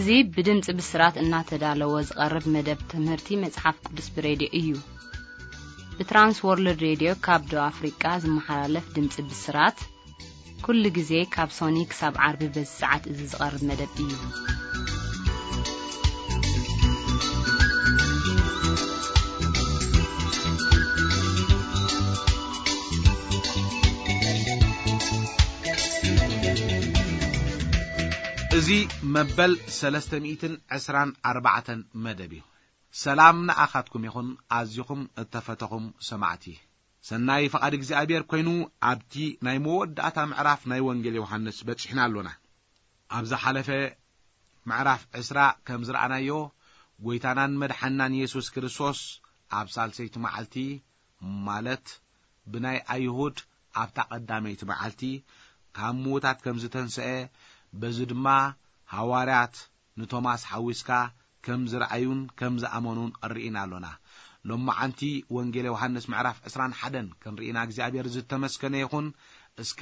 እዚ ብድምጺ ብስራት እናተዳለወ ዝቐርብ መደብ ትምህርቲ መጽሓፍ ቅዱስ ብሬድዮ እዩ። ብትራንስ ወርልድ ሬድዮ ካብ ደቡብ ኣፍሪቃ ዝመሓላለፍ ድምጺ ብስራት፣ ኩሉ ግዜ ካብ ሶኒ ክሳብ ዓርቢ በዚ ሰዓት እዚ ዝቐርብ መደብ እዩ። እዚ መበል ሰለስተ ሚእትን ዕስራን ኣርባዕተን መደብ እዩ። ሰላም ንኣኻትኩም ይኹን፣ ኣዚኹም እተፈተኹም ሰማዕቲ። ሰናይ ፍቓድ እግዚኣብሔር ኮይኑ፣ ኣብቲ ናይ መወዳእታ ምዕራፍ ናይ ወንጌል ዮሃንስ በጺሕና ኣሎና። ኣብ ዝሓለፈ ምዕራፍ ዕስራ ከም ዝረኣናዮ፣ ጐይታናን መድሓንናን የሱስ ክርስቶስ ኣብ ሳልሰይቲ መዓልቲ፣ ማለት ብናይ ኣይሁድ ኣብታ ቀዳመይቲ መዓልቲ፣ ካብ ምዉታት ከም ዝተንስአ፣ በዚ ድማ ሃዋርያት ንቶማስ ሓዊስካ ከም ዝረኣዩን ከም ዝኣመኑን ርኢና ኣሎና። ሎማዓንቲ ወንጌል ዮሃንስ ምዕራፍ ዕስራን ሓደን ክንርኢና እግዚኣብሔር ዝተመስገነ ይኹን። እስከ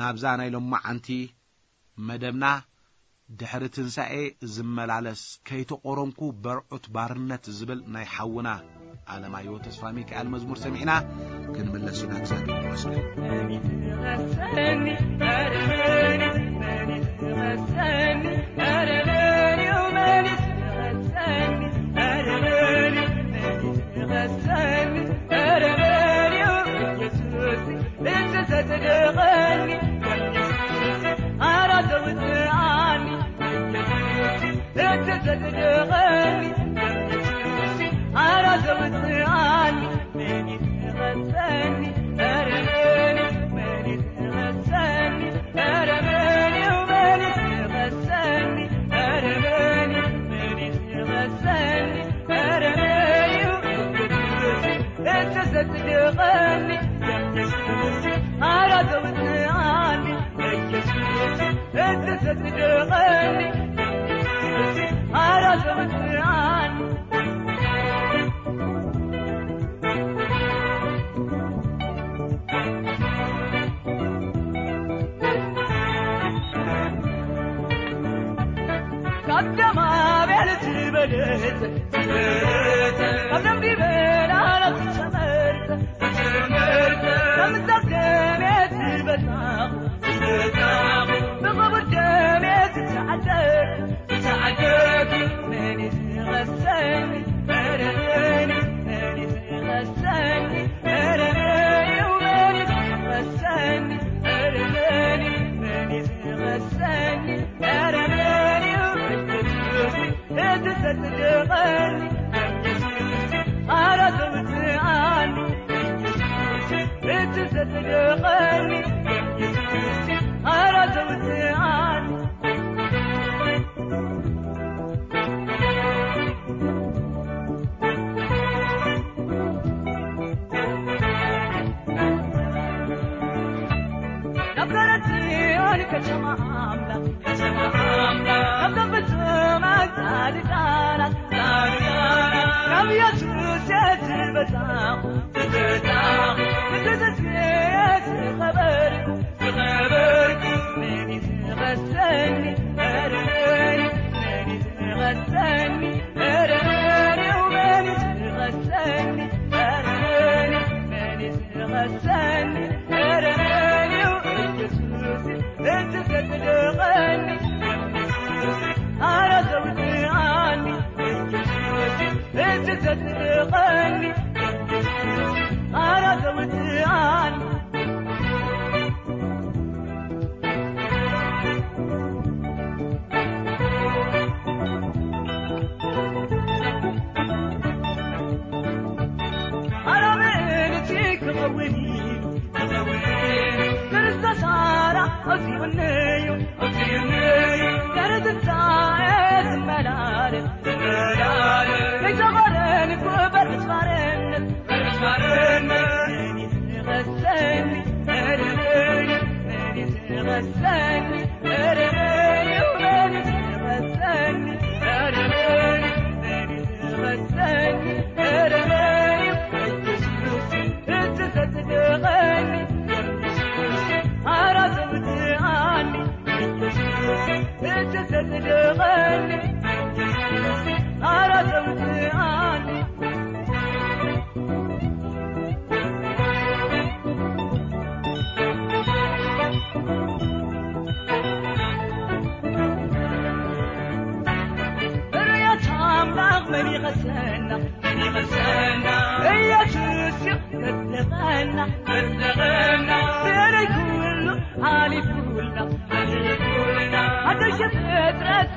ናብዛ ናይ ሎማዓንቲ መደብና ድሕሪ ትንሳኤ ዝመላለስ ከይተቆረምኩ በርዑት ባርነት ዝብል ናይ ሓውና ኣለማዮ ተስፋ ሚካኤል መዝሙር ሰሚዕና ክንምለስ ኢና። እግዚኣብሔር ይመስገን።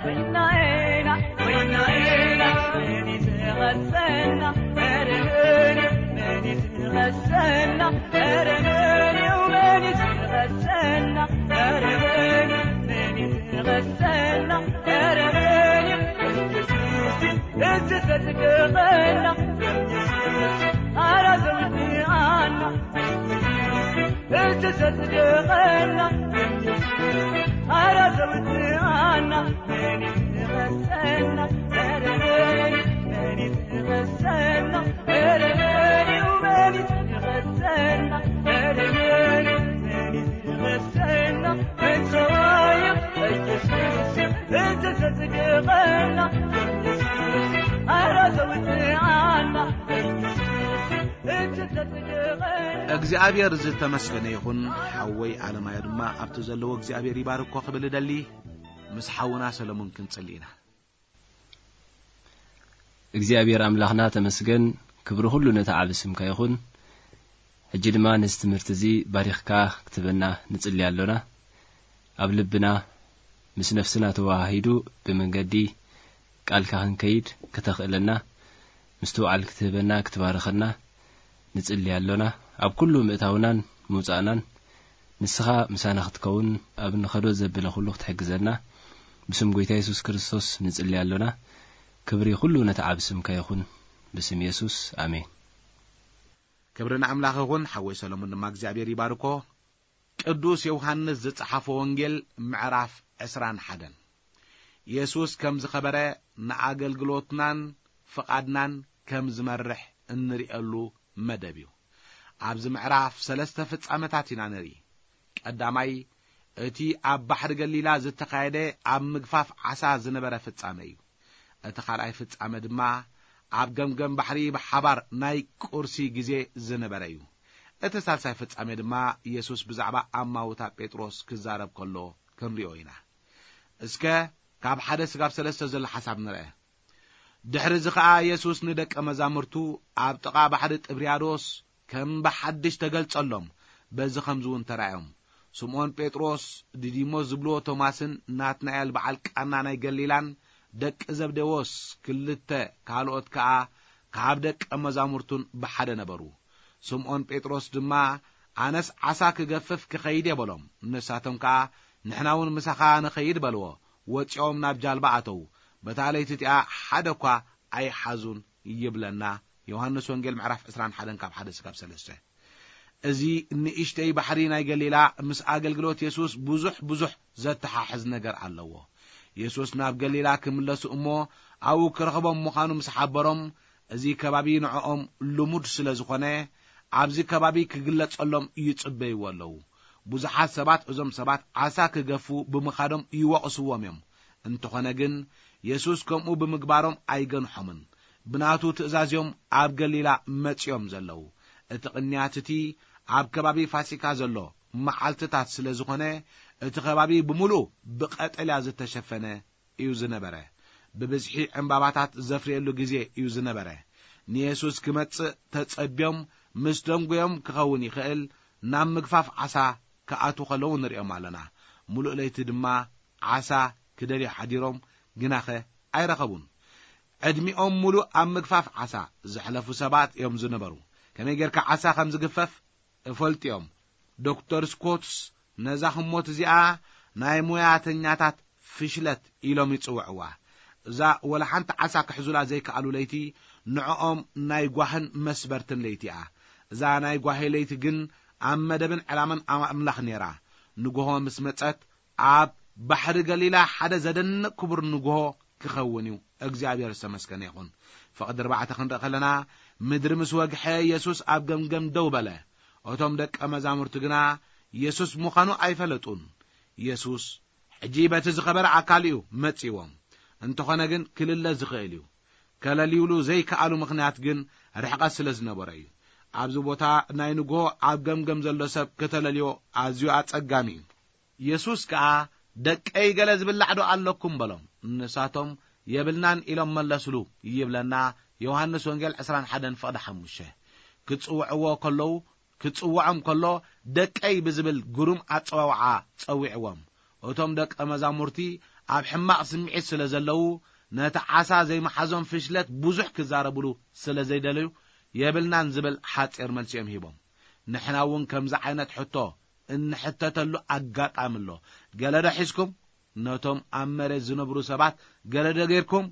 ወይናይና ወይናይና መን ይትኸሰና? ኧረ መን እዩ? መን ይትኸሰና? ኧረ መን እዩ? መን ይትኸሰና? ኧረ መን እዩ? መን ይትኸሰና? ኧረ መን እዩ? ኢየሱስ እዩ እቲ ዘጽድቐና። ኢየሱስ እዩ ኣራ ዘውድኣና። ኢየሱስ እዩ እቲ ዘጽድቐና። ኢየሱስ እዩ ኣራ ዘውድኣና። መን ይትኸሰና? ኧረ መን እዩ? መን ይትኸሰና? ኧረ መን እዩ? መን ይትኸሰና? ኧረ መን እዩ? መን ይትኸሰና? መን ሰዋይ እዩ? ኢየሱስ እዩ እቲ ዘጽድቐና። ኢየሱስ እዩ ኣራ ዘውድኣና። ኢየሱስ እዩ እቲ ዘጽድቐና። እግዚኣብሔር ዝተመስገነ ይኹን። ሓወይ ኣለማዮ ድማ ኣብቲ ዘለዎ እግዚኣብሔር ይባርኮ ክብል እደሊ። ምስ ሓውና ሰለሙን ክንጽሊ ኢና። እግዚኣብሔር ኣምላኽና ተመስገን፣ ክብሪ ኩሉ ነቲ ዓቢ ስምካ ይኹን። ሕጂ ድማ ነዚ ትምህርቲ እዚ ባሪኽካ ክትህበና ንጽሊ ኣሎና። ኣብ ልብና ምስ ነፍስና ተወሃሂዱ ብመንገዲ ቃልካ ክንከይድ ክተኽእለና፣ ምስትውዓል ክትህበና፣ ክትባርኸና ንጽሊ ኣሎና። ኣብ ኩሉ ምእታውናን ምውጻእናን ንስኻ ምሳና ክትከውን፣ ኣብ ንኸዶ ዘብለ ኩሉ ክትሕግዘና፣ ብስም ጎይታ የሱስ ክርስቶስ ንጽሊ ኣሎና። ክብሪ ኩሉ ነቲ ዓቢ ስምካ ይኹን፣ ብስም የሱስ፣ ኣሜን። ክብሪ ንኣምላኽ ይኹን። ሓወይ ሰሎሞን ድማ እግዚኣብሔር ይባርኮ። ቅዱስ ዮሃንስ ዝጸሓፎ ወንጌል ምዕራፍ ዕስራን ሓደን። የሱስ ከም ዝኸበረ ንኣገልግሎትናን ፍቓድናን ከም ዝመርሕ እንርእየሉ መደብ እዩ። ኣብዚ ምዕራፍ ሰለስተ ፍጻመታት ኢና ንርኢ። ቀዳማይ፣ እቲ ኣብ ባሕሪ ገሊላ ዝተኻየደ ኣብ ምግፋፍ ዓሳ ዝነበረ ፍጻመ እዩ። እቲ ካልኣይ ፍጻመ ድማ ኣብ ገምገም ባሕሪ ብሓባር ናይ ቁርሲ ግዜ ዝነበረ እዩ። እቲ ሳልሳይ ፍጻሜ ድማ የሱስ ብዛዕባ ኣማውታ ጴጥሮስ ክዛረብ ከሎ ክንሪኦ ኢና። እስከ ካብ ሓደ ስጋብ ሰለስተ ዘሎ ሓሳብ ንርአ። ድሕሪ እዚ ኸኣ የሱስ ንደቀ መዛሙርቱ ኣብ ጥቓ ባሕሪ ጥብርያዶስ ከም ብሓድሽ ተገልጸሎም፣ በዚ ኸምዚ እውን ተራእዮም። ስምዖን ጴጥሮስ፣ ድዲሞስ ዝብልዎ ቶማስን ናትናኤል በዓል ቃና ናይ ገሊላን ደቂ ዘብዴዎስ ክልተ ካልኦት ከኣ ካብ ደቀ መዛሙርቱን ብሓደ ነበሩ። ስምዖን ጴጥሮስ ድማ፣ ኣነስ ዓሳ ክገፍፍ ክኸይድ እየ በሎም። ንሳቶም ከኣ፣ ንሕና እውን ምሳኻ ንኸይድ በልዎ። ወጺኦም ናብ ጃልባ ኣተዉ። በታ ለይቲ እቲኣ ሓደ እኳ ኣይሓዙን ይብለና ዮሃንስ ወንጌል ምዕራፍ ዕስራን ሓደን ካብ ሓደ ስጋብ ሰለስተ። እዚ ንእሽተይ ባሕሪ ናይ ገሊላ ምስ ኣገልግሎት የሱስ ብዙሕ ብዙሕ ዘተሓሕዝ ነገር ኣለዎ። የሱስ ናብ ገሊላ ክምለሱ እሞ ኣብኡ ክረኽቦም ምዃኑ ምስ ሓበሮም፣ እዚ ከባቢ ንዕኦም ልሙድ ስለ ዝኾነ፣ ኣብዚ ከባቢ ክግለጸሎም ይጽበይዎ ኣለዉ። ብዙሓት ሰባት እዞም ሰባት ዓሳ ክገፉ ብምኻዶም ይወቕስዎም እዮም። እንተኾነ ግን፣ የሱስ ከምኡ ብምግባሮም ኣይገንሖምን። ብናቱ ትእዛዝ እዮም ኣብ ገሊላ መጺኦም ዘለዉ። እቲ ቅንያት እቲ ኣብ ከባቢ ፋሲካ ዘሎ መዓልትታት ስለ ዝኾነ፣ እቲ ከባቢ ብምሉኡ ብቐጠልያ ዝተሸፈነ እዩ ዝነበረ። ብብዝሒ ዕምባባታት ዘፍርየሉ ግዜ እዩ ዝነበረ። ንየሱስ ክመጽእ ተጸብዮም ምስ ደንጉዮም ክኸውን ይኽእል፣ ናብ ምግፋፍ ዓሳ ክኣትዉ ከለዉ ንርእዮም ኣለና። ምሉእ ለይቲ ድማ ዓሳ ክደልዩ ሓዲሮም፣ ግናኸ ኣይረኸቡን። ዕድሚኦም ምሉእ ኣብ ምግፋፍ ዓሳ ዘሕለፉ ሰባት እዮም ዝነበሩ። ከመይ ጌርካ ዓሳ ከም ዝግፈፍ እፈልጡ እዮም። ዶክተር ስኮትስ ነዛ ህሞት እዚኣ ናይ ሞያተኛታት ፍሽለት ኢሎም ይጽውዕዋ። እዛ ወላ ሓንቲ ዓሳ ክሕዙላ ዘይከኣሉ ለይቲ ንዕኦም ናይ ጓህን መስበርትን ለይቲ እያ። እዛ ናይ ጓሂ ለይቲ ግን ኣብ መደብን ዕላማን ኣምላኽ ነይራ። ንግሆ ምስ መጸት ኣብ ባሕሪ ገሊላ ሓደ ዘደንቕ ክቡር ንግሆ ክኸውን እዩ። እግዚኣብሔር ዝተመስገነ ይኹን። ፍቕዲ ኣርባዕተ ክንርኢ ከለና፣ ምድሪ ምስ ወግሐ የሱስ ኣብ ገምገም ደው በለ። እቶም ደቀ መዛሙርቲ ግና የሱስ ምዃኑ ኣይፈለጡን። የሱስ ሕጂ በቲ ዝኸበረ ኣካሉ እዩ መጺዎም። እንተኾነ ግን ክልለ ዝኽእል እዩ። ከለልዩሉ ዘይከኣሉ ምኽንያት ግን ርሕቐት ስለ ዝነበሮ እዩ። ኣብዚ ቦታ ናይ ንግሆ ኣብ ገምገም ዘሎ ሰብ ከተለልዮ ኣዝዩ ኣጸጋሚ እዩ። የሱስ ከኣ፣ "ደቀይ ገለ ዝብላዕ ዶ ኣለኩም?" በሎም። ንሳቶም፣ "የብልናን" ኢሎም መለስሉ ይብለና ዮሃንስ ወንጌል ዕስራን ሓደን ፍቕዲ ሓሙሽተ። ክጽውዕዎ ከለዉ፣ ክጽውዖም ከሎ፣ "ደቀይ" ብዝብል ግሩም ኣጸዋውዓ ጸዊዕዎም። እቶም ደቀ መዛሙርቲ ኣብ ሕማቕ ስምዒት ስለ ዘለዉ፣ ነቲ ዓሳ ዘይመሓዞም ፍሽለት ብዙሕ ክዛረብሉ ስለ ዘይደለዩ፣ የብልናን ዝብል ሓጺር መልሲ እዮም ሂቦም። ንሕና እውን ከምዚ ዓይነት ሕቶ እንሕተተሉ ኣጋጣሚ ኣሎ። ገለ ዶ ሒዝኩም? ነቶም ኣብ መሬት ዝነብሩ ሰባት ገለ ዶ ጌርኩም?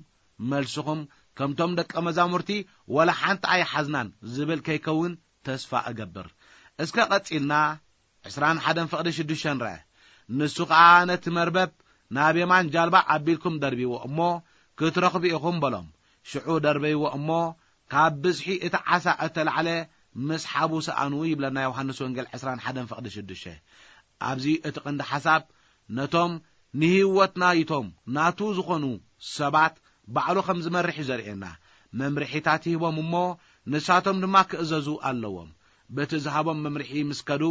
መልስኹም ከምቶም ደቀ መዛሙርቲ "ወላ ሓንቲ ኣይሓዝናን" ዝብል ከይከውን ተስፋ እገብር። እስከ ቀጺልና ዕስራን ሓደን ፍቕዲ ሽዱሽተ ንርአ። ንሱ ኸኣ ነቲ መርበብ ናብ የማን ጃልባ ኣቢልኩም ደርብይዎ እሞ ክትረኽቡ ኢኹም በሎም። ሽዑ ደርበይዎ እሞ ካብ ብዝሒ እቲ ዓሳ እተላዕለ ምስሓቡ ሰኣኑ ይብለና ዮሃንስ ወንጌል ዕስራን ሓደን ፍቕዲ ሽዱሽተ። ኣብዚ እቲ ቀንዲ ሓሳብ ነቶም ንህይወት ናይቶም ናቱ ዝኾኑ ሰባት ባዕሉ ከም ዝመርሕ እዩ ዘርእየና። መምርሒታት ይህቦም እሞ ንሳቶም ድማ ክእዘዙ ኣለዎም። በቲ ዝሃቦም መምርሒ ምስ ከዱ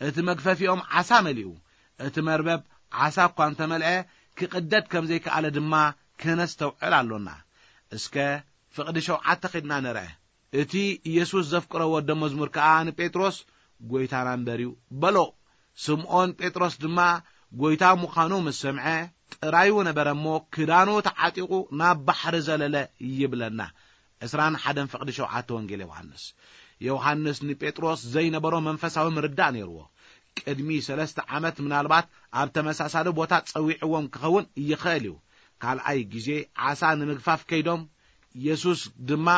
እቲ መግፈፊኦም ዓሳ መሊኡ። እቲ መርበብ ዓሳ እኳ እንተመልአ ክቕደድ ከም ዘይከኣለ ድማ ክነስተውዕል ኣሎና። እስከ ፍቕዲ ሸውዓተ ኺድና ንርአ። እቲ ኢየሱስ ዘፍቅሮ ወደ መዝሙር ከኣ ንጴጥሮስ "ጐይታና እምበር እዩ" በሎ። ስምዖን ጴጥሮስ ድማ ጐይታ ምዃኑ ምስ ሰምዐ ጥራዩ ነበረ እሞ ክዳኑ ተዓጢቑ ናብ ባሕሪ ዘለለ ይብለና። ዕስራን ሓደን ፍቕዲ ሸውዓተ ወንጌል ዮሃንስ። ዮሃንስ ንጴጥሮስ ዘይነበሮ መንፈሳዊ ምርዳእ ነይርዎ። ቅድሚ ሰለስተ ዓመት ምናልባት ኣብ ተመሳሳሊ ቦታ ጸዊዕዎም ክኸውን ይኽእል እዩ። ካልኣይ ግዜ ዓሳ ንምግፋፍ ከይዶም፣ የሱስ ድማ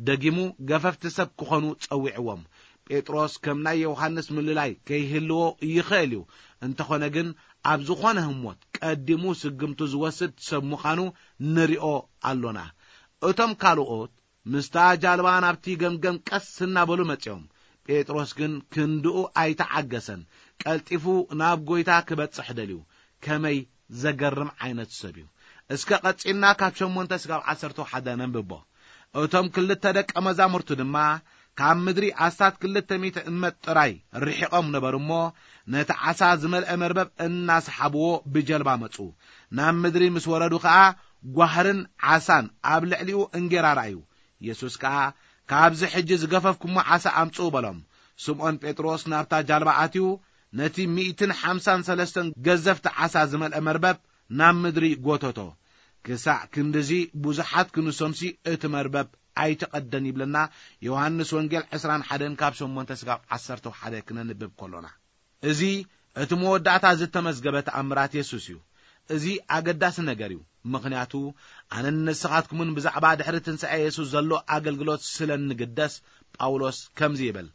ደጊሙ ገፈፍቲ ሰብ ክኾኑ ጸዊዕዎም። ጴጥሮስ ከም ናይ ዮሃንስ ምልላይ ከይህልዎ ይኽእል እዩ። እንተኾነ ግን ኣብ ዝኾነ ህሞት ቀዲሙ ስግምቱ ዝወስድ ሰብ ምዃኑ ንሪኦ ኣሎና። እቶም ካልኦት ምስታ ጃልባ ናብቲ ገምገም ቀስ እናበሉ መጺኦም። ጴጥሮስ ግን ክንድኡ ኣይተዓገሰን። ቀልጢፉ ናብ ጐይታ ክበጽሕ ደልዩ። ከመይ ዘገርም ዓይነት ሰብ እዩ! እስከ ቀጺልና ካብ ሸሞንተ ስጋብ ዓሰርተ ሓደ ነንብቦ። እቶም ክልተ ደቀ መዛሙርቱ ድማ ካብ ምድሪ ኣስታት ክልተ ሚእቲ እመት ጥራይ ርሒቖም ነበሩ እሞ፣ ነቲ ዓሳ ዝመልአ መርበብ እናሰሓብዎ ብጀልባ መጹ። ናብ ምድሪ ምስ ወረዱ ኸኣ ጓህርን ዓሳን ኣብ ልዕሊኡ እንጌራ ረኣዩ። የሱስ ከኣ፣ "ካብዚ ሕጂ ዝገፈፍኩሞ ዓሳ ኣምጽኡ" በሎም። ስምዖን ጴጥሮስ ናብታ ጃልባ ኣትዩ፣ ነቲ ሚእትን ሓምሳን ሰለስተን ገዘፍቲ ዓሳ ዝመልአ መርበብ ናብ ምድሪ ጎተቶ። ክሳዕ ክንድዚ ብዙሓት ክንሶምሲ እቲ መርበብ ኣይተቐደን ይብለና ዮሃንስ ወንጌል ዕስራን ሓደን ካብ ሸሞንተ ስጋብ ዓሰርተ ሓደ ክነንብብ ከሎና። እዚ እቲ መወዳእታ ዝተመዝገበ ተኣምራት የሱስ እዩ። እዚ ኣገዳሲ ነገር እዩ፣ ምኽንያቱ ኣነን ንስኻትኩምን ብዛዕባ ድሕሪ ትንሳኤ የሱስ ዘሎ ኣገልግሎት ስለ እንግደስ፣ ጳውሎስ ከምዚ ይብል፣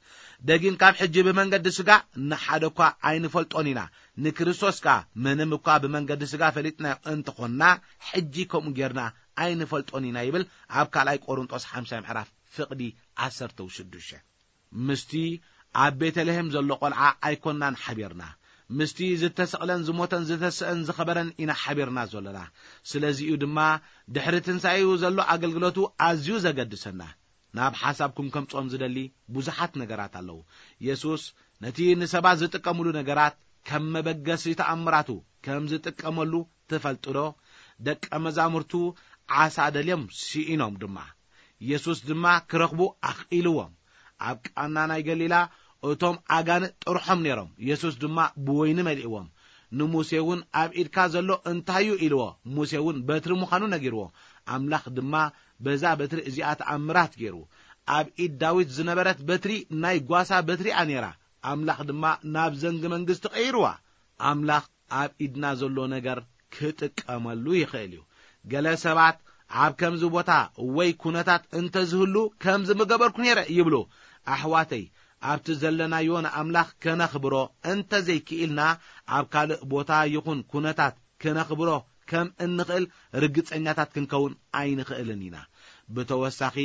"ደጊም ካብ ሕጂ ብመንገዲ ስጋ ንሓደ እኳ ኣይንፈልጦን ኢና፣ ንክርስቶስ ከኣ ምንም እኳ ብመንገዲ ስጋ ፈሊጥናዮ እንተኾንና፣ ሕጂ ከምኡ ጌርና ኣይንፈልጦን ኢና" ይብል ኣብ ካልኣይ ቆሮንጦስ ሓምሻይ ምዕራፍ ፍቕዲ ዓሰርተ ሽዱሽተ። ምስቲ ኣብ ቤተልሔም ዘሎ ቆልዓ ኣይኮንናን ሓቢርና። ምስቲ ዝተሰቕለን ዝሞተን ዝተስአን ዝኸበረን ኢና ሓቢርና ዘሎና። ስለዚ'ዩ ድማ ድሕሪ ትንሳኤኡ ዘሎ ኣገልግሎቱ ኣዝዩ ዘገድሰና። ናብ ሓሳብኩም ከምጽኦም ዝደሊ ብዙሓት ነገራት ኣለዉ። የሱስ ነቲ ንሰባት ዝጥቀምሉ ነገራት ከም መበገሲ ተኣምራቱ ከም ዝጥቀመሉ ትፈልጡ ዶ? ደቀ መዛሙርቱ ዓሳ ደልዮም ስኢኖም ድማ። የሱስ ድማ ክረኽቡ ኣኽኢልዎም። ኣብ ቃና ናይ ገሊላ እቶም ኣጋንንት ጥርሖም ነይሮም፣ የሱስ ድማ ብወይኒ መሊእዎም። ንሙሴ እውን፣ "ኣብ ኢድካ ዘሎ እንታይ እዩ?" ኢልዎ። ሙሴ እውን በትሪ ምዃኑ ነጊርዎ። ኣምላኽ ድማ በዛ በትሪ እዚኣ ተኣምራት ገይሩ። ኣብ ኢድ ዳዊት ዝነበረት በትሪ ናይ ጓሳ በትሪ'ያ ነይራ። ኣምላኽ ድማ ናብ ዘንጊ መንግስቲ ቀይርዋ። ኣምላኽ ኣብ ኢድና ዘሎ ነገር ክጥቀመሉ ይኽእል እዩ። ገለ ሰባት ኣብ ከምዚ ቦታ ወይ ኩነታት እንተዝህሉ ከምዚ ምገበርኩ ነይረ ይብሉ። ኣሕዋተይ፣ ኣብቲ ዘለናዮ ንኣምላኽ ከነኽብሮ እንተዘይክኢልና፣ ኣብ ካልእ ቦታ ይኹን ኩነታት ክነኽብሮ ከም እንኽእል ርግጸኛታት ክንከውን ኣይንኽእልን ኢና። ብተወሳኺ፣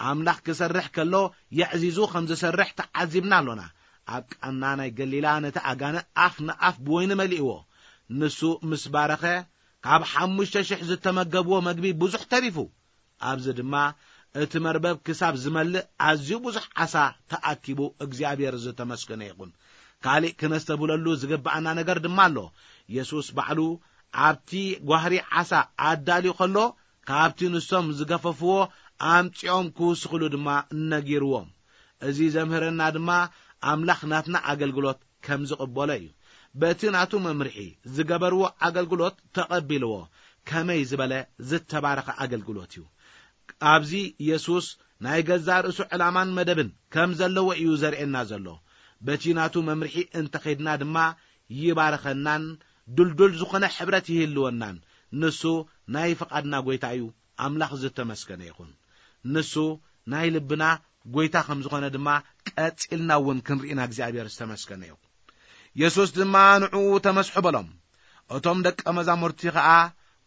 ኣምላኽ ክሰርሕ ከሎ የዕዚዙ ከም ዝሰርሕ ተዓዚብና ኣሎና። ኣብ ቃና ናይ ገሊላ ነቲ ኣጋንንት ኣፍ ንኣፍ ብወይኒ መሊእዎ። ንሱ ምስ ባረኸ፣ ካብ ሓሙሽተ ሽሕ ዝተመገብዎ መግቢ ብዙሕ ተሪፉ። ኣብዚ ድማ እቲ መርበብ ክሳብ ዝመልእ ኣዝዩ ብዙሕ ዓሳ ተኣኪቡ፣ እግዚኣብሔር ዝተመስገነ ይኹን። ካልእ ክነስተብህለሉ ዝግብኣና ነገር ድማ ኣሎ። የሱስ ባዕሉ ኣብቲ ጓህሪ ዓሳ ኣዳልዩ ከሎ፣ ካብቲ ንሶም ዝገፈፍዎ ኣምጺኦም ክውስኽሉ ድማ ነጊርዎም። እዚ ዘምህረና ድማ ኣምላኽ ናትና ኣገልግሎት ከም ዝቕበሎ እዩ። በቲ ናቱ መምርሒ ዝገበርዎ ኣገልግሎት ተቐቢልዎ። ከመይ ዝበለ ዝተባረኸ ኣገልግሎት እዩ! ኣብዚ የሱስ ናይ ገዛእ ርእሱ ዕላማን መደብን ከም ዘለዎ እዩ ዘርእየና ዘሎ። በቲ ናቱ መምርሒ እንተኸድና ድማ ይባርኸናን ድልዱል ዝኾነ ሕብረት ይህልወናን። ንሱ ናይ ፍቓድና ጐይታ እዩ። ኣምላኽ ዝተመስገነ ይኹን። ንሱ ናይ ልብና ጐይታ ከም ዝኾነ ድማ ቀጺልና እውን ክንርኢና እግዚኣብሔር ዝተመስገነ ይኹን። የሱስ ድማ ንዕኡ ተመስሑ በሎም። እቶም ደቀ መዛሙርቲ ኸኣ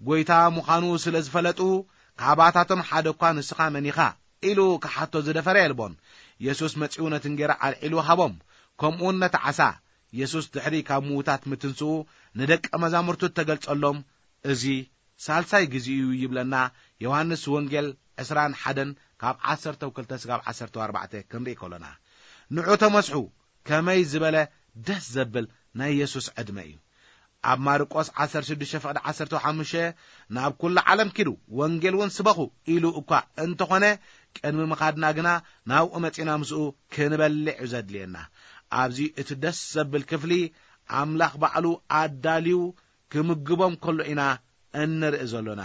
ጐይታ ምዃኑ ስለ ዝፈለጡ፣ ካባታቶም ሓደ እኳ "ንስኻ መን ኢኻ?" ኢሉ ክሓቶ ዝደፈረ የልቦን። የሱስ መጺኡ ነቲ እንጌራ ኣልዒሉ ሃቦም፣ ከምኡውን ነቲ ዓሳ። የሱስ ድሕሪ ካብ ምዉታት ምትንስኡ ንደቀ መዛሙርቱ እተገልጸሎም እዚ ሳልሳይ ግዜኡ እዩ ይብለና። ዮሃንስ ወንጌል ዕስራን ሓደን ካብ ዓሰርተ ክልተ ስጋብ ዓሰርተ ኣርባዕተ ክንርኢ ከሎና፣ ንዑ ተመስሑ። ከመይ ዝበለ ደስ ዘብል ናይ የሱስ ዕድመ እዩ! ኣብ ማርቆስ ዓሰርተ ሽዱሽተ ፍቕዲ ዓሰርተ ሓሙሽተ፣ "ናብ ኩሉ ዓለም ኪዱ፣ ወንጌል እውን ስበኹ" ኢሉ እኳ እንተኾነ፣ ቅድሚ ምኻድና ግና ናብኡ መጺና ምስኡ ክንበልዕ እዩ ዘድልየና። ኣብዚ እቲ ደስ ዘብል ክፍሊ፣ ኣምላኽ ባዕሉ ኣዳልዩ ክምግቦም ከሎ ኢና እንርኢ ዘሎና።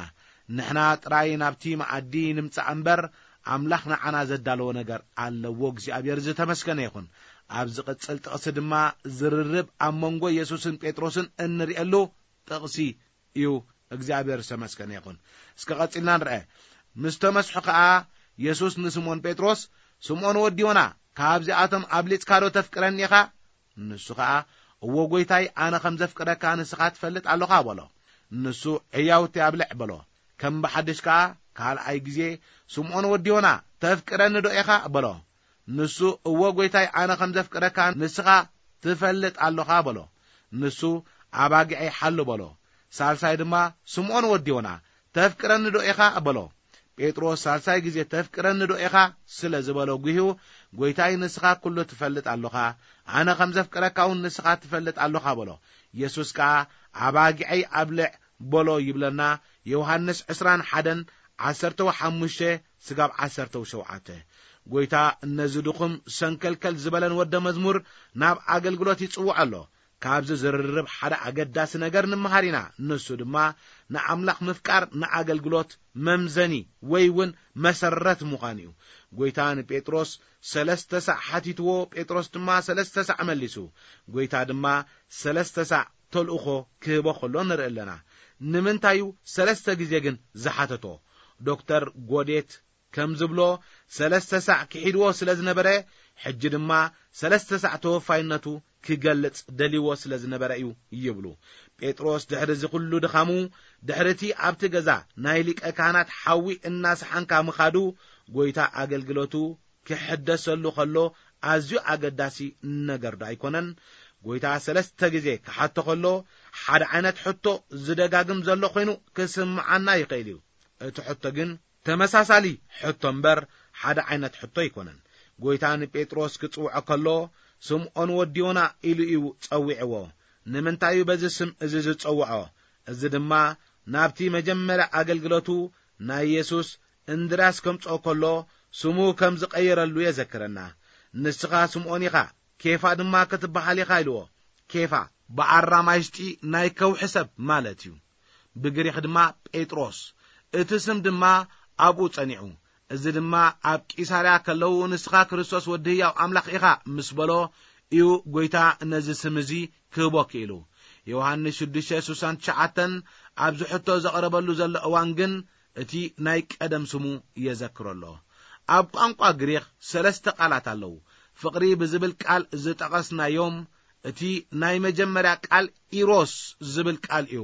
ንሕና ጥራይ ናብቲ መኣዲ ንምጻእ እምበር፣ ኣምላኽ ንዓና ዘዳለዎ ነገር ኣለዎ። እግዚኣብሔር ዝተመስገነ ይኹን። ኣብ ዝቕጽል ጥቕሲ ድማ ዝርርብ ኣብ መንጎ የሱስን ጴጥሮስን እንርእየሉ ጥቕሲ እዩ። እግዚኣብሔር ዝተመስገነ ይኹን። እስከ ቀጺልና ንርአ። ምስ ተመስሑ ኸኣ የሱስ ንስምኦን ጴጥሮስ፣ "ስምኦን ወዲ ዮና፣ ካብዚኣቶም ኣብሊጽካዶ ተፍቅረኒ ኢኻ?" ንሱ ኸኣ፣ "እወ ጐይታይ፣ ኣነ ኸም ዘፍቅረካ ንስኻ ትፈልጥ ኣሎኻ" በሎ። ንሱ፣ "ዕያውቲ ኣብልዕ" በሎ። ከም ብሓድሽ ከኣ ካልኣይ ግዜ፣ "ስምኦን ወዲ ዮና፣ ተፍቅረኒዶ ኢኻ?" በሎ። ንሱ፣ "እወ ጐይታይ፣ ኣነ ኸም ዘፍቅረካ ንስኻ ትፈልጥ ኣሎኻ" በሎ። ንሱ፣ "ኣባጊዐይ ሓሉ" በሎ። ሳልሳይ ድማ፣ "ስምኦን ወዲ ዮና፣ ተፍቅረኒዶ ኢኻ?" በሎ። ጴጥሮስ ሳልሳይ ግዜ "ተፍቅረኒዶ ኢኻ?" ስለ ዝበሎ ጒሂኡ፣ "ጐይታይ፣ ንስኻ ኵሉ ትፈልጥ ኣሎኻ፣ ኣነ ኸም ዘፍቅረካ እውን ንስኻ ትፈልጥ ኣሎኻ" በሎ። የሱስ ከኣ፣ "ኣባጊዐይ ኣብልዕ" በሎ ይብለና። ዮሃንስ ዕስራን ሓደን ዓሰርተ ሓሙሽተ ስጋብ ዓሰርተ ሸውዓተ። ጐይታ ነዚ ድኹም ሰንከልከል ዝበለን ወደ መዝሙር ናብ ኣገልግሎት ይጽውዖ ኣሎ። ካብዚ ዝርርብ ሓደ ኣገዳሲ ነገር ንምሃር ኢና። ንሱ ድማ ንኣምላኽ ምፍቃር ንኣገልግሎት መምዘኒ ወይ እውን መሰረት ምዃን እዩ። ጐይታ ንጴጥሮስ ሰለስተ ሳዕ ሓቲትዎ፣ ጴጥሮስ ድማ ሰለስተ ሳዕ መሊሱ። ጐይታ ድማ ሰለስተ ሳዕ ተልእኾ ክህቦ ከሎ ንርኢ ኣለና። ንምንታይ እዩ ሰለስተ ግዜ ግን ዝሓተቶ? ዶክተር ጎዴት ከም ዝብሎ፣ ሰለስተ ሳዕ ክሒድዎ ስለ ዝነበረ፣ ሕጂ ድማ ሰለስተ ሳዕ ተወፋይነቱ ክገልጽ ደልይዎ ስለ ዝነበረ እዩ ይብሉ። ጴጥሮስ ድሕሪ እዚ ኹሉ ድኻሙ፣ ድሕሪ እቲ ኣብቲ ገዛ ናይ ሊቀ ካህናት ሓዊ እናሰሓንካ ምኻዱ፣ ጐይታ ኣገልግሎቱ ክሕደሰሉ ኸሎ ኣዝዩ ኣገዳሲ ነገር ዶ ኣይኮነን? ጐይታ ሰለስተ ግዜ ክሓቶ ኸሎ፣ ሓደ ዓይነት ሕቶ ዝደጋግም ዘሎ ኾይኑ ክስምዓና ይኽእል እዩ። እቲ ሕቶ ግን ተመሳሳሊ ሕቶ እምበር፣ ሓደ ዓይነት ሕቶ ኣይኮነን። ጐይታ ንጴጥሮስ ክጽውዖ ከሎ፣ "ስምዖን ወዲ ዮና" ኢሉ እዩ ጸዊዕዎ። ንምንታይ እዩ በዚ ስም እዚ ዝጸውዖ? እዚ ድማ ናብቲ መጀመርያ ኣገልግሎቱ ናይ የሱስ እንድርያስ ከምጽኦ ከሎ፣ ስሙ ከም ዝቐየረሉ የዘክረና። "ንስኻ ስምዖን ኢኻ፣ ኬፋ ድማ ክትበሃል ኢኻ" ኢልዎ። ኬፋ ብኣራማይስጢ ናይ ከውሒ ሰብ ማለት እዩ። ብግሪኽ ድማ ጴጥሮስ። እቲ ስም ድማ ኣብኡ ጸኒዑ። እዚ ድማ ኣብ ቂሳርያ ከለዉ፣ "ንስኻ ክርስቶስ ወዲ ህያው ኣምላኽ ኢኻ" ምስ በሎ እዩ ጐይታ ነዚ ስም እዚ ክህቦ ክኢሉ። ዮሃንስ ሽዱሽተ ስሳን ትሽዓተን ኣብዚ ሕቶ ዘቕረበሉ ዘሎ እዋን ግን እቲ ናይ ቀደም ስሙ የዘክሮ ኣሎ። ኣብ ቋንቋ ግሪኽ ሰለስተ ቃላት ኣለዉ። ፍቕሪ ብዝብል ቃል ዝጠቐስናዮም፣ እቲ ናይ መጀመርያ ቃል ኢሮስ ዝብል ቃል እዩ።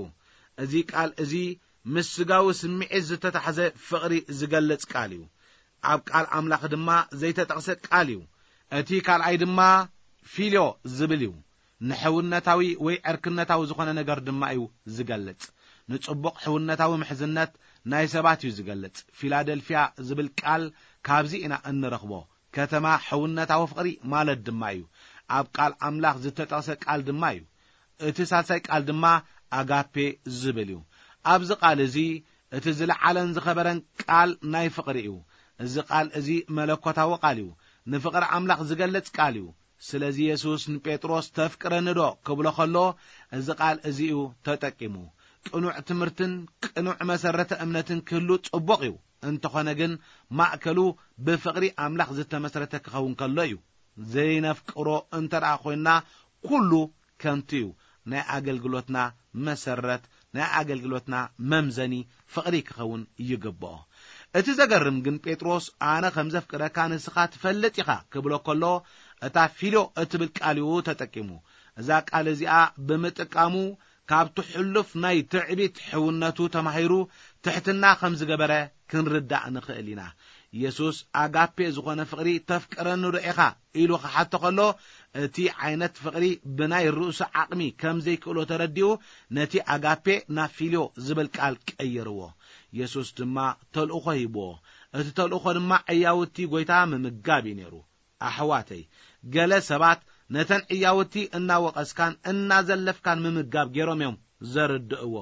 እዚ ቃል እዚ ምስ ስጋዊ ስምዒት ዝተታሕዘ ፍቕሪ ዝገልጽ ቃል እዩ። ኣብ ቃል ኣምላኽ ድማ ዘይተጠቕሰ ቃል እዩ። እቲ ካልኣይ ድማ ፊልዮ ዝብል እዩ። ንሕውነታዊ ወይ ዕርክነታዊ ዝኾነ ነገር ድማ እዩ ዝገልጽ። ንጽቡቕ ሕውነታዊ ምሕዝነት ናይ ሰባት እዩ ዝገልጽ። ፊላደልፍያ ዝብል ቃል ካብዚ ኢና እንረኽቦ። ከተማ ሕውነታዊ ፍቕሪ ማለት ድማ እዩ። ኣብ ቃል ኣምላኽ ዝተጠቕሰ ቃል ድማ እዩ። እቲ ሳልሳይ ቃል ድማ ኣጋፔ ዝብል እዩ። ኣብዚ ቃል እዚ እቲ ዝለዓለን ዝኸበረን ቃል ናይ ፍቕሪ እዩ። እዚ ቃል እዚ መለኮታዊ ቃል እዩ። ንፍቕሪ ኣምላኽ ዝገልጽ ቃል እዩ። ስለዚ የሱስ ንጴጥሮስ "ተፍቅረኒ ዶ?" ክብሎ ከሎ፣ እዚ ቃል እዚ እዩ ተጠቂሙ። ቅኑዕ ትምህርትን ቅኑዕ መሰረተ እምነትን ክህሉ ጽቡቕ እዩ። እንተኾነ ግን፣ ማእከሉ ብፍቕሪ ኣምላኽ ዝተመስረተ ክኸውን ከሎ እዩ። ዘይነፍቅሮ እንተ ደኣ ኮይንና፣ ኩሉ ከንቱ እዩ። ናይ ኣገልግሎትና መሰረት፣ ናይ ኣገልግሎትና መምዘኒ ፍቕሪ ክኸውን ይግብኦ። እቲ ዘገርም ግን፣ ጴጥሮስ "ኣነ ከም ዘፍቅረካ ንስኻ ትፈልጥ ኢኻ" ክብሎ ከሎ፣ እታ ፊልዮ እትብል ቃል እዩ ተጠቂሙ። እዛ ቃል እዚኣ ብምጥቃሙ፣ ካብቲ ሕሉፍ ናይ ትዕቢት ሕውነቱ ተማሂሩ ትሕትና ከም ዝገበረ ክንርዳእ ንኽእል ኢና። የሱስ ኣጋፔ ዝኾነ ፍቕሪ "ተፍቅረኒ ዶ ኢኻ?" ኢሉ ክሓቶ ከሎ፣ እቲ ዓይነት ፍቕሪ ብናይ ርእሱ ዓቕሚ ከም ዘይክእሎ ተረዲኡ፣ ነቲ ኣጋፔ ናብ ፊልዮ ዝብል ቃል ቀየርዎ። የሱስ ድማ ተልእኾ ሂብዎ። እቲ ተልእኾ ድማ ዕያውቲ ጎይታ ምምጋብ እዩ ነይሩ። ኣሕዋተይ፣ ገለ ሰባት ነተን ዕያውቲ እናወቐስካን እናዘለፍካን ምምጋብ ገይሮም እዮም ዘርድእዎ።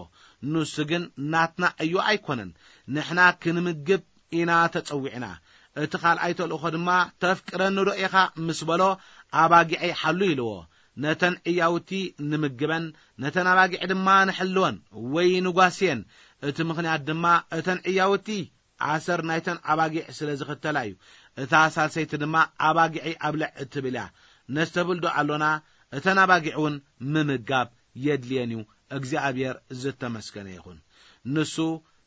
ንሱ ግን ናትና ዕዮ ኣይኮነን። ንሕና ክንምግብ ኢና ተጸዊዕና። እቲ ካልኣይ ተልእኾ ድማ "ተፍቅረኒ ዶ ኢኻ?" ምስ በሎ፣ "ኣባጊዐይ ሓሉ" ኢልዎ። ነተን ዕያውቲ ንምግበን፣ ነተን ኣባጊዕ ድማ ንሕልወን ወይ ንጓስየን። እቲ ምኽንያት ድማ እተን ዕያውቲ ኣሰር ናይተን ኣባጊዕ ስለ ዝኽተላ እዩ። እታ ሳልሰይቲ ድማ "ኣባጊዐይ ኣብልዕ" እትብል እያ። ነስተብህል ዶ ኣሎና? እተን ኣባጊዕ እውን ምምጋብ የድልየን እዩ። እግዚኣብሔር ዝተመስገነ ይኹን። ንሱ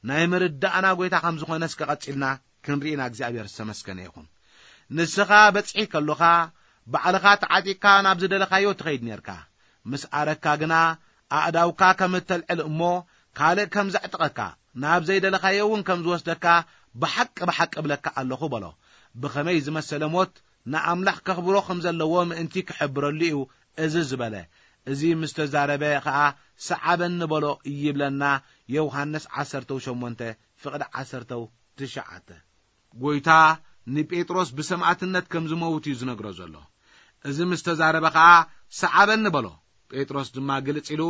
ናይ ምርዳእና ጎይታ ከም ዝኾነ እስከ ቀጺልና ክንርኢና እግዚኣብሔር ዝተመስገነ ይኹን። ንስኻ በጽሒ ከሎኻ፣ ባዕልኻ ተዓጢቕካ ናብ ዝደለኻዮ ትኸይድ ኔርካ። ምስ ኣረካ ግና፣ ኣእዳውካ ከም እተልዕል እሞ፣ ካልእ ከም ዘዕጥቐካ፣ ናብ ዘይደለኻዮ እውን ከም ዝወስደካ ብሓቂ ብሓቂ እብለካ ኣለኹ በሎ። ብኸመይ ዝመሰለ ሞት ንኣምላኽ ከኽብሮ ከም ዘለዎ ምእንቲ ክሕብረሉ እዩ እዚ ዝበለ። እዚ ምስ ተዛረበ ኸኣ፣ "ሰዓበኒ" በሎ ይብለና ዮሃንስ ዓሰርተው ሸሞንተ ፍቕዲ ዓሰርተው ትሽዓተ። ጎይታ ንጴጥሮስ ብሰማእትነት ከም ዝመውት እዩ ዝነግሮ ዘሎ። እዚ ምስ ተዛረበ ኸኣ፣ "ሰዓበኒ" በሎ። ጴጥሮስ ድማ ግልጽ ኢሉ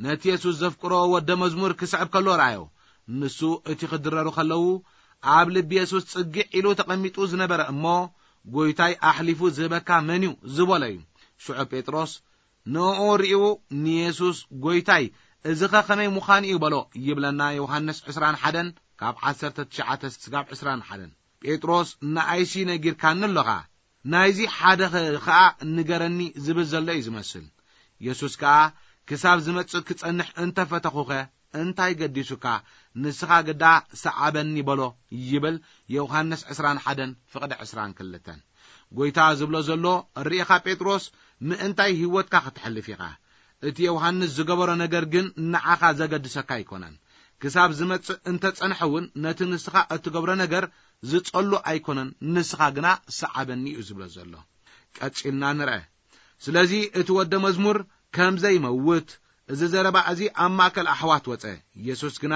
ነቲ የሱስ ዘፍቅሮ ወደ መዝሙር ክስዕብ ከሎ ረኣዮ። ንሱ እቲ ክድረሩ ከለዉ፣ ኣብ ልቢ የሱስ ጽግዕ ኢሉ ተቐሚጡ ዝነበረ እሞ፣ "ጎይታይ ኣሕሊፉ ዝህበካ መን እዩ?" ዝበሎ እዩ። ሽዑ ጴጥሮስ ንእኡ ርእዩ ንየሱስ፣ "ጎይታይ፣ እዚኸ ከመይ ምዃኑ እዩ?" በሎ ይብለና ዮሃንስ ዕስራን ሓደን ካብ ዓሰርተ ትሽዓተ ስጋብ ዕስራን ሓደን። ጴጥሮስ፣ "ንኣይሲ ነጊርካኒ ኣሎኻ፣ ናይዚ ሓደ ኸ-፣ ኸኣ ንገረኒ" ዝብል ዘሎ እዩ ዝመስል። የሱስ ከኣ፣ "ክሳብ ዝመጽእ ክጸንሕ እንተ ፈተኹኸ እንታይ ገዲሱካ? ንስኻ ግዳ ሰዓበኒ" በሎ ይብል ዮሃንስ ዕስራን ሓደን ፍቕዲ ዕስራን ክልተን። ጎይታ ዝብሎ ዘሎ፣ ርኢኻ ጴጥሮስ፣ ምእንታይ ህይወትካ ከተሕልፍ ኢኻ። እቲ ዮሃንስ ዝገበሮ ነገር ግን ንዓኻ ዘገድሰካ ኣይኮነን። ክሳብ ዝመጽእ እንተ ጸንሐ እውን፣ ነቲ ንስኻ እትገብሮ ነገር ዝጸሉ ኣይኮነን፣ ንስኻ ግና ሰዓበኒ እዩ ዝብሎ ዘሎ። ቀጺልና ንርአ። ስለዚ እቲ ወደ መዝሙር ከም ዘይመውት፣ እዚ ዘረባ እዚ ኣብ ማእከል ኣሕዋት ወጸ። የሱስ ግና፣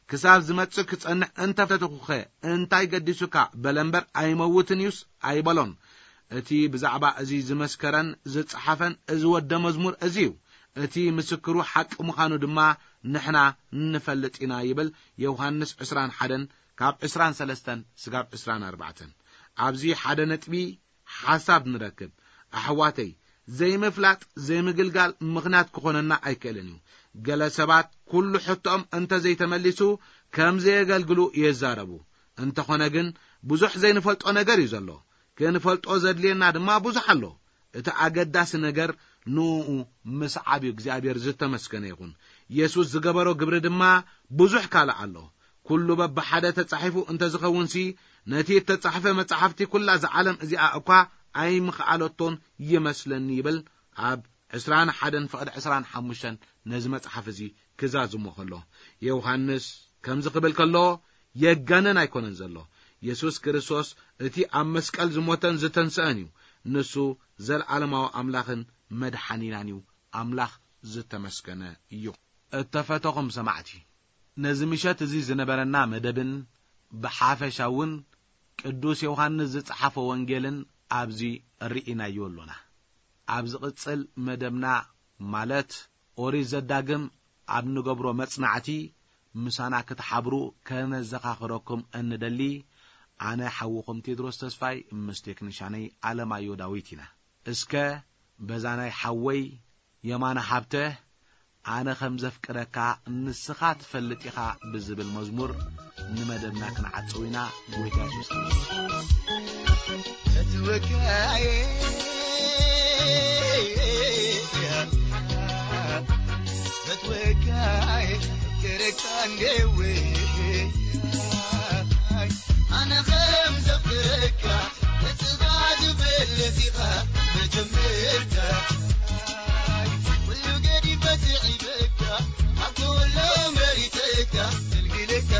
"ክሳብ ዝመጽእ ክጸንሕ እንተ ፈተኹኸ እንታይ ገዲሱካ?" በለ እምበር፣ "ኣይመውትን እዩስ?" ኣይበሎን። እቲ ብዛዕባ እዚ ዝመስከረን ዝጸሓፈን እዚ ወደ መዝሙር እዚ እዩ። እቲ ምስክሩ ሓቂ ምዃኑ ድማ ንሕና ንፈልጥ ኢና ይብል ዮሃንስ ዕስራን ሓደን ካብ ዕስራን ሰለስተን ስጋብ ዕስራን ኣርባዕተን። ኣብዚ ሓደ ነጥቢ ሓሳብ ንረክብ። ኣሕዋተይ፣ ዘይምፍላጥ ዘይምግልጋል ምኽንያት ክኾነና ኣይክእልን እዩ። ገለ ሰባት ኩሉ ሕቶኦም እንተ ዘይተመሊሱ ከም ዘየገልግሉ ይዛረቡ። እንተኾነ ግን ብዙሕ ዘይንፈልጦ ነገር እዩ ዘሎ። ክንፈልጦ ዘድልየና ድማ ብዙሕ ኣሎ። እቲ ኣገዳሲ ነገር ንእኡ ምስዓብ እዩ። እግዚኣብሔር ዝተመስገነ ይኹን። የሱስ ዝገበሮ ግብሪ ድማ ብዙሕ ካልእ ኣሎ። ኩሉ በብሓደ ተጻሒፉ እንተ ዝኸውንሲ፣ ነቲ እተጻሕፈ መጻሕፍቲ ኩላ እዛ ዓለም እዚኣ እኳ ኣይምኽኣለቶን ይመስለኒ ይብል ኣብ ዕስራን ሓደን ፍቕዲ ዕስራን ሓሙሽተን ነዚ መጽሓፍ እዚ ክዛዝሞ ከሎ። ዮሃንስ ከምዚ ክብል ከሎ የጋንን ኣይኮነን ዘሎ። የሱስ ክርስቶስ እቲ ኣብ መስቀል ዝሞተን ዝተንስአን እዩ። ንሱ ዘለዓለማዊ ኣምላኽን መድሓኒናን እዩ። ኣምላኽ ዝተመስገነ እዩ። እተፈተኹም ሰማዕቲ፣ ነዚ ምሸት እዚ ዝነበረና መደብን ብሓፈሻ እውን ቅዱስ ዮሃንስ ዝጸሓፎ ወንጌልን ኣብዚ ርኢናዮ ኣሎና። ኣብ ዝቕጽል መደብና፣ ማለት ኦሪት ዘዳግም ኣብ ንገብሮ መጽናዕቲ፣ ምሳና ክትሓብሩ ከነዘኻኽረኩም እንደሊ፣ ኣነ ሓውኹም ቴድሮስ ተስፋይ ምስ ቴክኒሻነይ ኣለማዮ ዳዊት ኢና። እስከ በዛ ናይ ሓወይ የማነ ሃብተ ኣነ ከም ዘፍቅረካ ንስኻ ትፈልጥ ኢኻ ብዝብል መዝሙር ንመደብና ክንዓጽው ኢና። ጎይታ የሱስ ክርስቶስ። ፈትወካየ፣ ፈትወካየ፣ ፍቅረካ እንዴወ። ኣነ ከም ዘፍቅረካ ንስኻ ትፈልጥ ኢኻ መጀመርታ። ኩሉ ገዲፈ ስዒበካ፣ ኣብ ኩሉ መሪጸካ፣ ኣገልግለካ።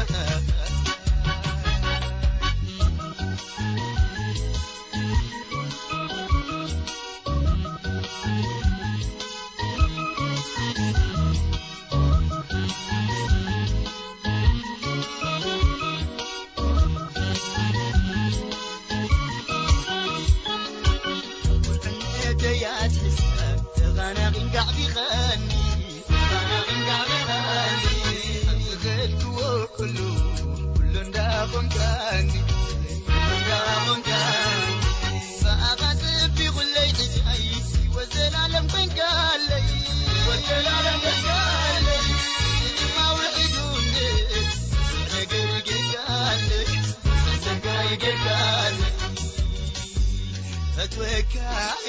ፈትወካይ፣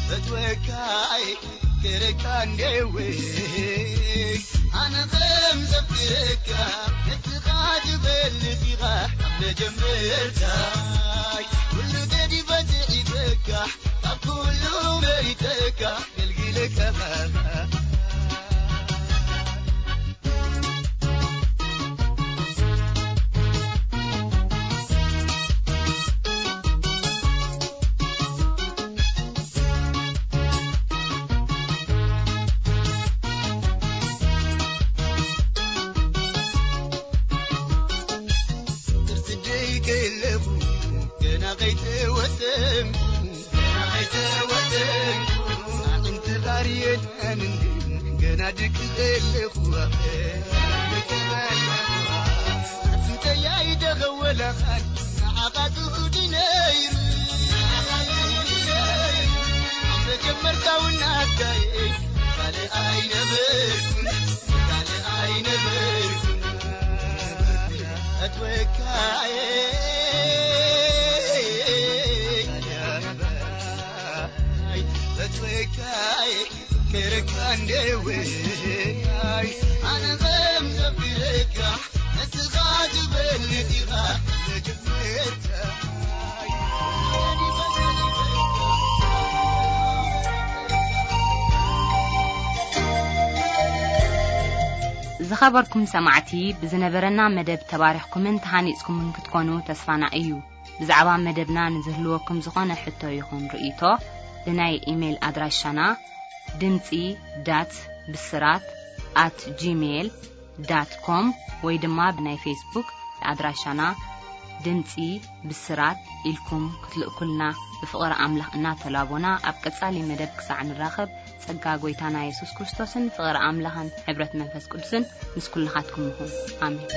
ፈትወካይ፣ ክረካ እንዴወይ፣ ኣነ ከም ዘፍቅረካ፣ ንስኻ ትፈልጥ ኢኻ ካብ መጀመርታይ። ኩሉ ገዲፈ ስዒበካ፣ ካብ ኩሉ መሪጸካ፣ ኣገልግለካ። ዝኸበርኩም ሰማዕቲ፣ ብዝነበረና መደብ ተባሪኽኩምን ተሃኒጽኩምን ክትኮኑ ተስፋና እዩ። ብዛዕባ መደብና ንዝህልወኩም ዝኾነ ሕቶ ይኹን ርእይቶ፣ ብናይ ኢሜይል ኣድራሻና ድምጺ ዳት ብስራት ኣት ጂሜይል ዳት ኮም ወይ ድማ ብናይ ፌስቡክ ኣድራሻና ድምጺ ብስራት ኢልኩም ክትልእኩልና ብፍቕሪ ኣምላኽ እናተላቦና፣ ኣብ ቀጻሊ መደብ ክሳዕ ንራኸብ፣ ጸጋ ጐይታና የሱስ ክርስቶስን ፍቕሪ ኣምላኽን ሕብረት መንፈስ ቅዱስን ምስ ኩልኻትኩም ይኹን። ኣሜን።